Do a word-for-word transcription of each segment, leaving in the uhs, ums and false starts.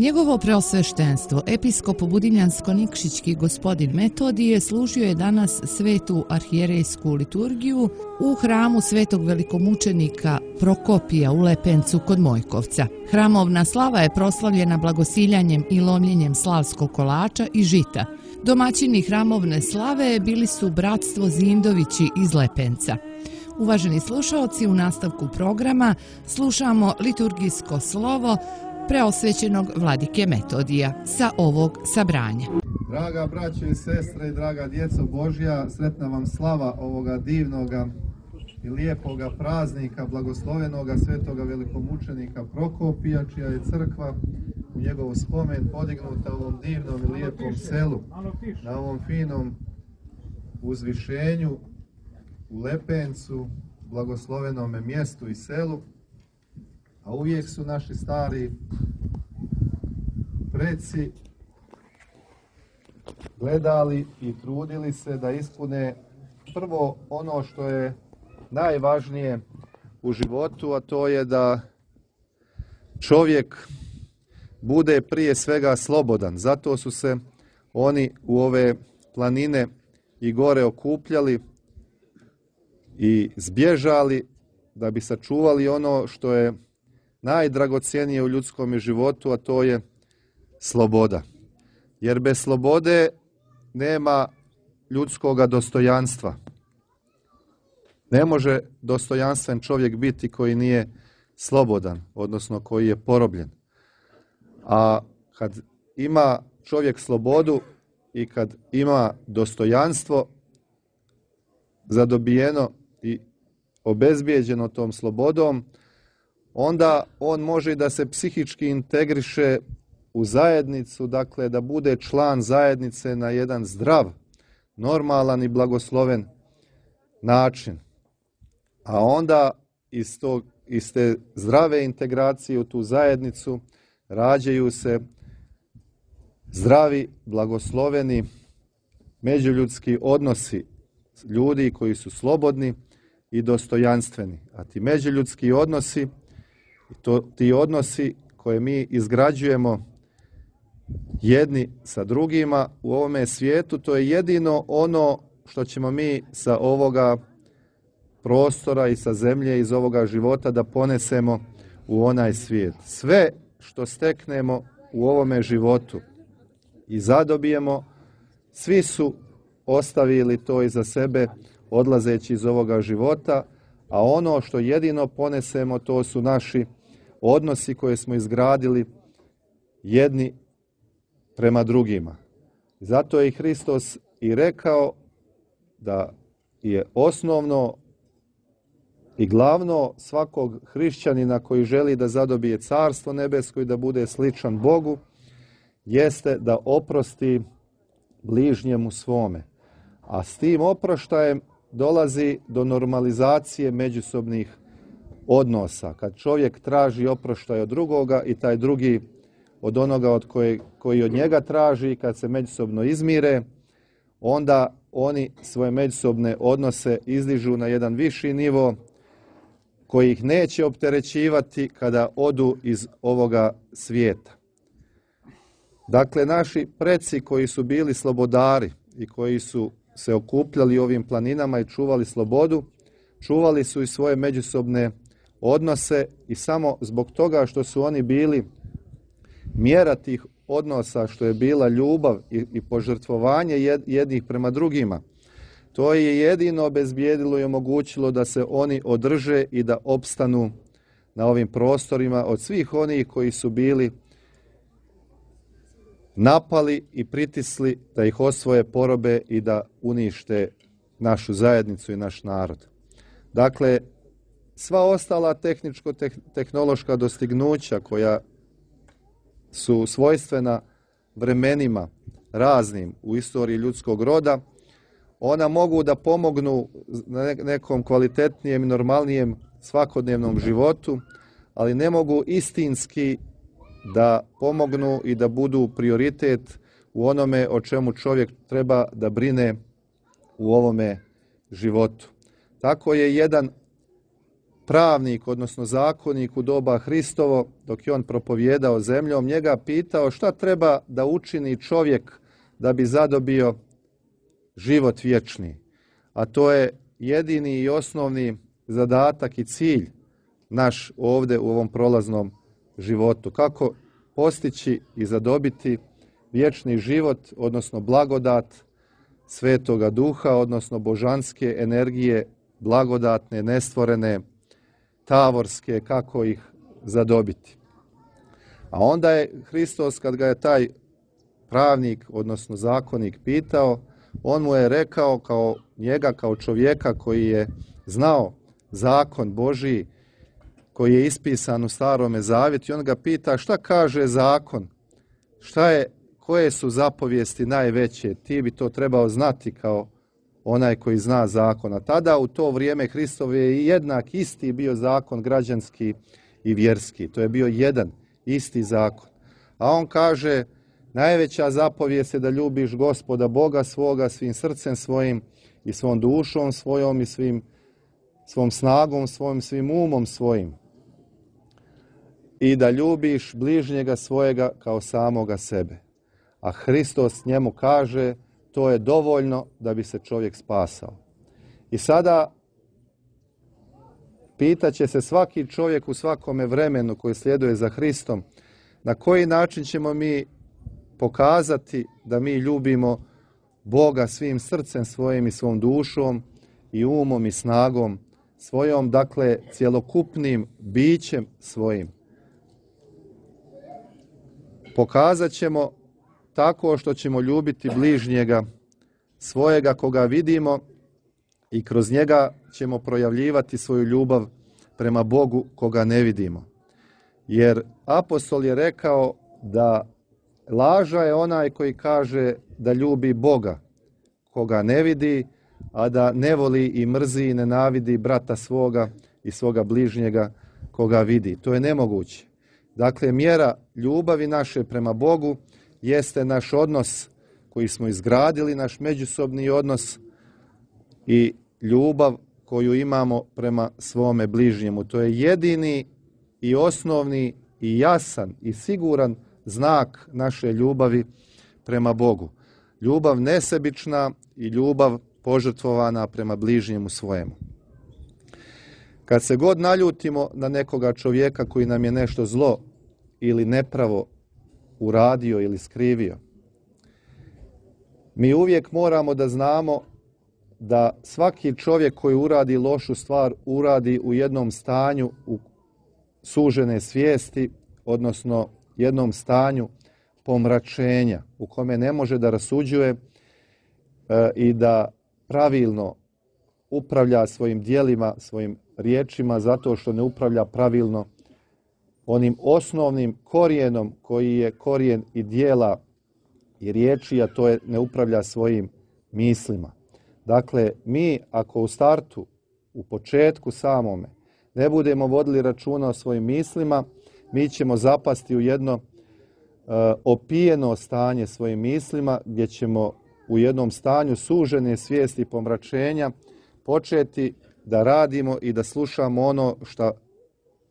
Njegovo preosveštenstvo, episkop Budimljansko-Nikšićki gospodin Metodije, služio je danas svetu arhijerejsku liturgiju u hramu svetog velikomučenika Prokopija u Lepencu kod Mojkovca. Hramovna slava je proslavljena blagosiljanjem i lomljenjem slavskog kolača i žita. Domaćini hramovne slave bili su bratstvo Zindovići iz Lepenca. Uvaženi slušaoci, u nastavku programa slušamo liturgijsko slovo preosvećenog vladike Metodija sa ovog sabranja. Draga braćo i sestre i draga djeco Božja, sretna vam slava ovoga divnoga i lijepoga praznika, blagoslovenoga svetoga velikomučenika Prokopija, čija je crkva u njegov spomen podignuta u ovom divnom i lijepom selu, na ovom finom uzvišenju u Lepencu, blagoslovenome mjestu i selu. A uvijek su naši stari preci gledali i trudili se da ispune prvo ono što je najvažnije u životu, a to je da čovjek bude prije svega slobodan. Zato su se oni u ove planine i gore okupljali i zbježali da bi sačuvali ono što je najdragocjenije u ljudskom životu, a to je sloboda. Jer bez slobode nema ljudskoga dostojanstva. Ne može dostojanstven čovjek biti koji nije slobodan, odnosno koji je porobljen. A kad ima čovjek slobodu i kad ima dostojanstvo zadobijeno i obezbijeđeno tom slobodom, onda on može da se psihički integriše u zajednicu, dakle da bude član zajednice na jedan zdrav, normalan i blagosloven način. A onda iz, tog, iz te zdrave integracije u tu zajednicu rađaju se zdravi, blagosloveni međuljudski odnosi ljudi koji su slobodni i dostojanstveni. A ti međuljudski odnosi, to, ti odnosi koje mi izgrađujemo jedni sa drugima u ovome svijetu, to je jedino ono što ćemo mi sa ovoga prostora i sa zemlje, iz ovoga života da ponesemo u onaj svijet. Sve što steknemo u ovome životu i zadobijemo, svi su ostavili to iza sebe odlazeći iz ovoga života, a ono što jedino ponesemo, to su naši odnosi koje smo izgradili jedni prema drugima. Zato je i Hristos i rekao da je osnovno i glavno svakog hrišćanina koji želi da zadobije carstvo nebesko i da bude sličan Bogu, jeste da oprosti bližnjemu svome. A s tim oproštajem dolazi do normalizacije međusobnih odnosa. Kad čovjek traži oproštaj od drugoga i taj drugi od onoga od koje, koji od njega traži, kad se međusobno izmire, onda oni svoje međusobne odnose izdižu na jedan viši nivo koji ih neće opterećivati kada odu iz ovoga svijeta. Dakle, naši preci koji su bili slobodari i koji su se okupljali ovim planinama i čuvali slobodu, čuvali su i svoje međusobne odnose i samo zbog toga što su oni bili mjera tih odnosa, što je bila ljubav i, i požrtvovanje jednih prema drugima, to je jedino obezbijedilo i omogućilo da se oni održe i da opstanu na ovim prostorima od svih onih koji su bili napali i pritisli da ih osvoje, porobe i da unište našu zajednicu i naš narod. Dakle, sva ostala tehničko-tehnološka dostignuća koja su svojstvena vremenima raznim u istoriji ljudskog roda, ona mogu da pomognu na nekom kvalitetnijem i normalnijem svakodnevnom životu, ali ne mogu istinski da pomognu i da budu prioritet u onome o čemu čovjek treba da brine u ovome životu. Tako je jedan pravnik, odnosno zakonik u doba Hristovo, dok je on propovijedao zemljom, njega pitao šta treba da učini čovjek da bi zadobio život vječni. A to je jedini i osnovni zadatak i cilj naš ovdje u ovom prolaznom životu. Kako postići i zadobiti vječni život, odnosno blagodat Svetoga Duha, odnosno božanske energije, blagodatne, nestvorene, tavorske, kako ih zadobiti. A onda je Hristos, kad ga je taj pravnik, odnosno zakonik pitao, on mu je rekao kao njega, kao čovjeka koji je znao zakon Božiji, koji je ispisan u Starome Zavjetu, i on ga pita šta kaže zakon, šta je, koje su zapovijesti najveće, ti bi to trebao znati kao onaj koji zna zakon. A tada u to vrijeme Hristov je jednak isti bio zakon građanski i vjerski. To je bio jedan isti zakon. A on kaže, najveća zapovijest je da ljubiš Gospoda Boga svoga svim srcem svojim i svom dušom svojom i svim, svom snagom svojim, svim umom svojim. I da ljubiš bližnjega svojega kao samoga sebe. A Hristos njemu kaže, to je dovoljno da bi se čovjek spasao. I sada pitaće se svaki čovjek u svakome vremenu koji slijeduje za Hristom, na koji način ćemo mi pokazati da mi ljubimo Boga svim srcem svojim i svom dušom i umom i snagom svojom, dakle cjelokupnim bićem svojim. Pokazat ćemo tako što ćemo ljubiti bližnjega svojega koga vidimo i kroz njega ćemo projavljivati svoju ljubav prema Bogu koga ne vidimo. Jer apostol je rekao da laža je onaj koji kaže da ljubi Boga koga ne vidi, a da ne voli i mrzi i nenavidi brata svoga i svoga bližnjega koga vidi. To je nemoguće. Dakle, mjera ljubavi naše prema Bogu jeste naš odnos koji smo izgradili, naš međusobni odnos i ljubav koju imamo prema svome bližnjemu. To je jedini i osnovni i jasan i siguran znak naše ljubavi prema Bogu. Ljubav nesebična i ljubav požrtvovana prema bližnjemu svojemu. Kad se god naljutimo na nekoga čovjeka koji nam je nešto zlo ili nepravo uradio ili skrivio, mi uvijek moramo da znamo da svaki čovjek koji uradi lošu stvar uradi u jednom stanju u sužene svijesti, odnosno jednom stanju pomračenja u kome ne može da rasuđuje e, i da pravilno upravlja svojim djelima, svojim riječima, zato što ne upravlja pravilno onim osnovnim korijenom koji je korijen i djela i riječi, a to je ne upravlja svojim mislima. Dakle, mi ako u startu, u početku samome, ne budemo vodili računa o svojim mislima, mi ćemo zapasti u jedno uh, opijeno stanje svojim mislima, gdje ćemo u jednom stanju sužene svijesti i pomračenja početi da radimo i da slušamo ono što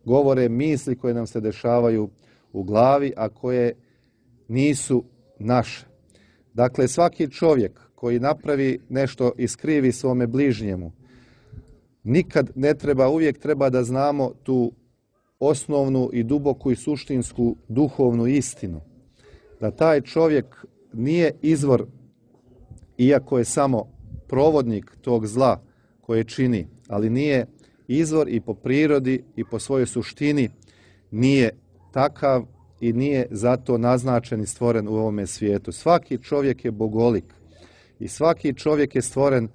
govore misli koje nam se dešavaju u glavi, a koje nisu naše. Dakle, svaki čovjek koji napravi nešto i skrivi svome bližnjemu, nikad ne treba, uvijek treba da znamo tu osnovnu i duboku i suštinsku duhovnu istinu. Da taj čovjek nije izvor, iako je samo provodnik tog zla koje čini, ali nije izvor i po prirodi i po svojoj suštini nije takav i nije zato naznačen i stvoren u ovome svijetu. Svaki čovjek je bogolik i svaki čovjek je stvoren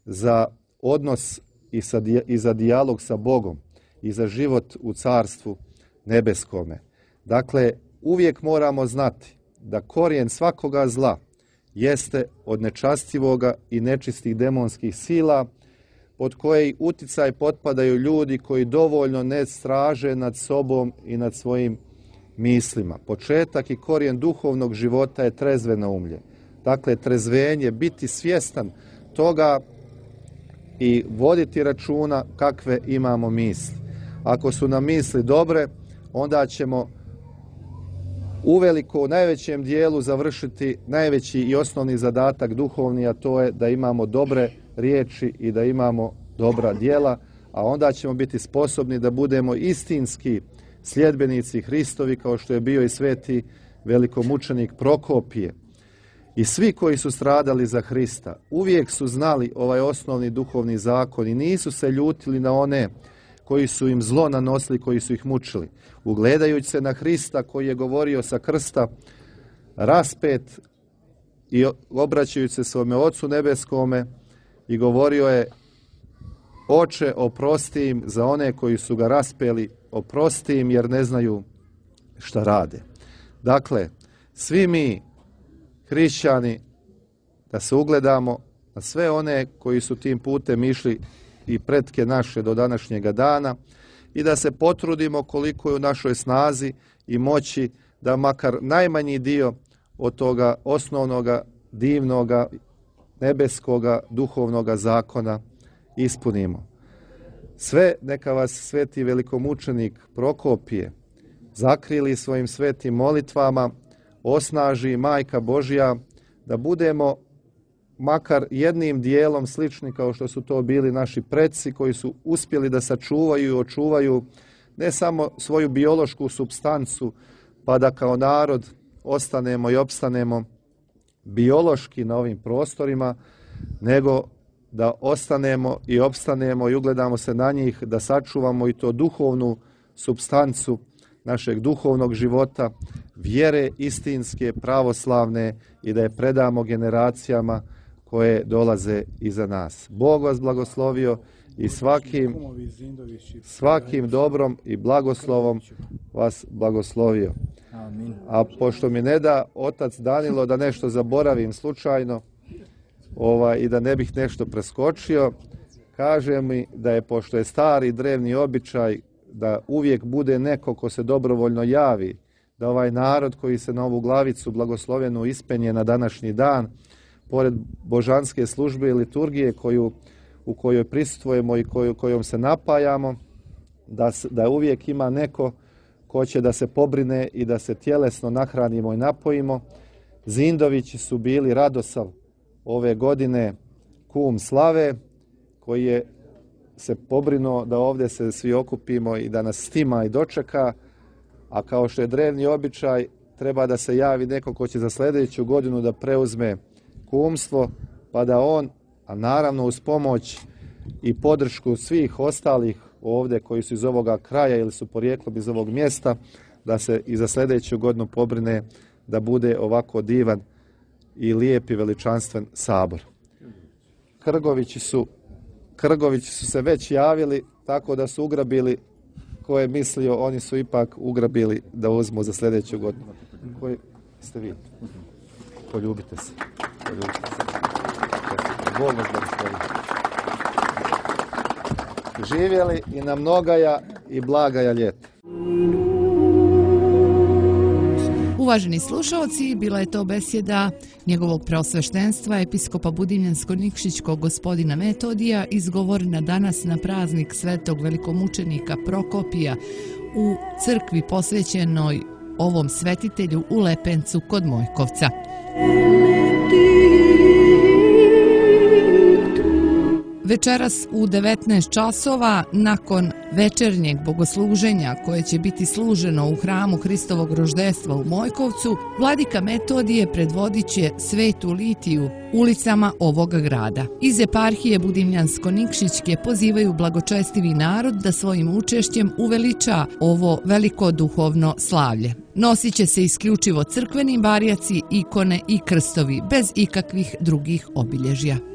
za odnos i, sa, i za dijalog sa Bogom i za život u carstvu nebeskome. Dakle, uvijek moramo znati da korijen svakoga zla jeste od nečastivoga i nečistih demonskih sila, pod koji uticaj potpadaju ljudi koji dovoljno ne straže nad sobom i nad svojim mislima. Početak i korijen duhovnog života je trezvenoumlje. Dakle, trezvenje, biti svjestan toga i voditi računa kakve imamo misli. ako su nam misli dobre, onda ćemo uveliko u najvećem dijelu završiti najveći i osnovni zadatak duhovni, a to je da imamo dobre riječi i da imamo dobra djela, a onda ćemo biti sposobni da budemo istinski sljedbenici Hristovi, kao što je bio i sveti velikomučenik Prokopije. I svi koji su stradali za Hrista uvijek su znali ovaj osnovni duhovni zakon i nisu se ljutili na one koji su im zlo nanosili, koji su ih mučili. Ugledajući se na Hrista koji je govorio sa krsta raspet i obraćajući se svome Ocu nebeskome i govorio je: Oče, oprosti im za one koji su ga raspeli, oprosti im jer ne znaju šta rade. Dakle, svi mi hrišćani da se ugledamo na sve one koji su tim putem išli i pretke naše do današnjega dana i da se potrudimo koliko je u našoj snazi i moći da makar najmanji dio od toga osnovnoga, divnoga, nebeskoga, duhovnoga zakona ispunimo. Sve neka vas sveti velikomučenik Prokopije zakrili svojim svetim molitvama, osnaži Majka Božja, da budemo makar jednim dijelom slični kao što su to bili naši preci koji su uspjeli da sačuvaju i očuvaju ne samo svoju biološku supstancu, pa da kao narod ostanemo i opstanemo biološki na ovim prostorima, nego da ostanemo i opstanemo i ugledamo se na njih, da sačuvamo i to duhovnu supstancu našeg duhovnog života, vjere istinske, pravoslavne i da je predamo generacijama koje dolaze iza nas. Bog vas blagoslovio i svakim, svakim dobrom i blagoslovom vas blagoslovio. A pošto mi ne da otac Danilo da nešto zaboravim slučajno ovaj, i da ne bih nešto preskočio, kaže mi da je, pošto je stari drevni običaj da uvijek bude neko ko se dobrovoljno javi, da ovaj narod koji se na ovu glavicu blagoslovenu ispenje na današnji dan, pored božanske službe i liturgije koju, u kojoj prisustvujemo i koju, kojom se napajamo, da, da uvijek ima neko ko će da se pobrine i da se tjelesno nahranimo i napojimo. Zindovići su bili Radosav ove godine kum slave, koji je se pobrinuo da ovdje se svi okupimo i da nas stima i dočeka, a kao što je drevni običaj, treba da se javi neko ko će za sljedeću godinu da preuzme kumstvo, pa da on, a naravno uz pomoć i podršku svih ostalih ovdje koji su iz ovoga kraja ili su porijeklom iz ovog mjesta, da se i za sljedeću godinu pobrine da bude ovako divan i lijep i veličanstven sabor. Krgovići su, Krgovići su se već javili, tako da su ugrabili, ko je mislio, oni su ipak ugrabili da uzmu za sljedeću godinu. Koji ste vi? Poljubite se. Poljubite se. Bog vas blagoslovi. Živjeli i na mnogaja i blagaja ljeta. Uvaženi slušalci, bila je to besjeda njegovog preosveštenstva episkopa Budimljansko-Nikšićkog gospodina Metodija, izgovorena danas na praznik svetog velikomučenika Prokopija u crkvi posvećenoj ovom svetitelju u Lepencu kod Mojkovca. Večeras u devetnaest časova, nakon večernjeg bogosluženja koje će biti služeno u hramu Hristovog roždestva u Mojkovcu, vladika Metodije predvodit će svetu litiju ulicama ovoga grada. Iz eparhije Budimljansko-Nikšićke pozivaju blagočestivi narod da svojim učešćem uveliča ovo veliko duhovno slavlje. Nosit će se isključivo crkveni barjaci, ikone i krstovi, bez ikakvih drugih obilježja.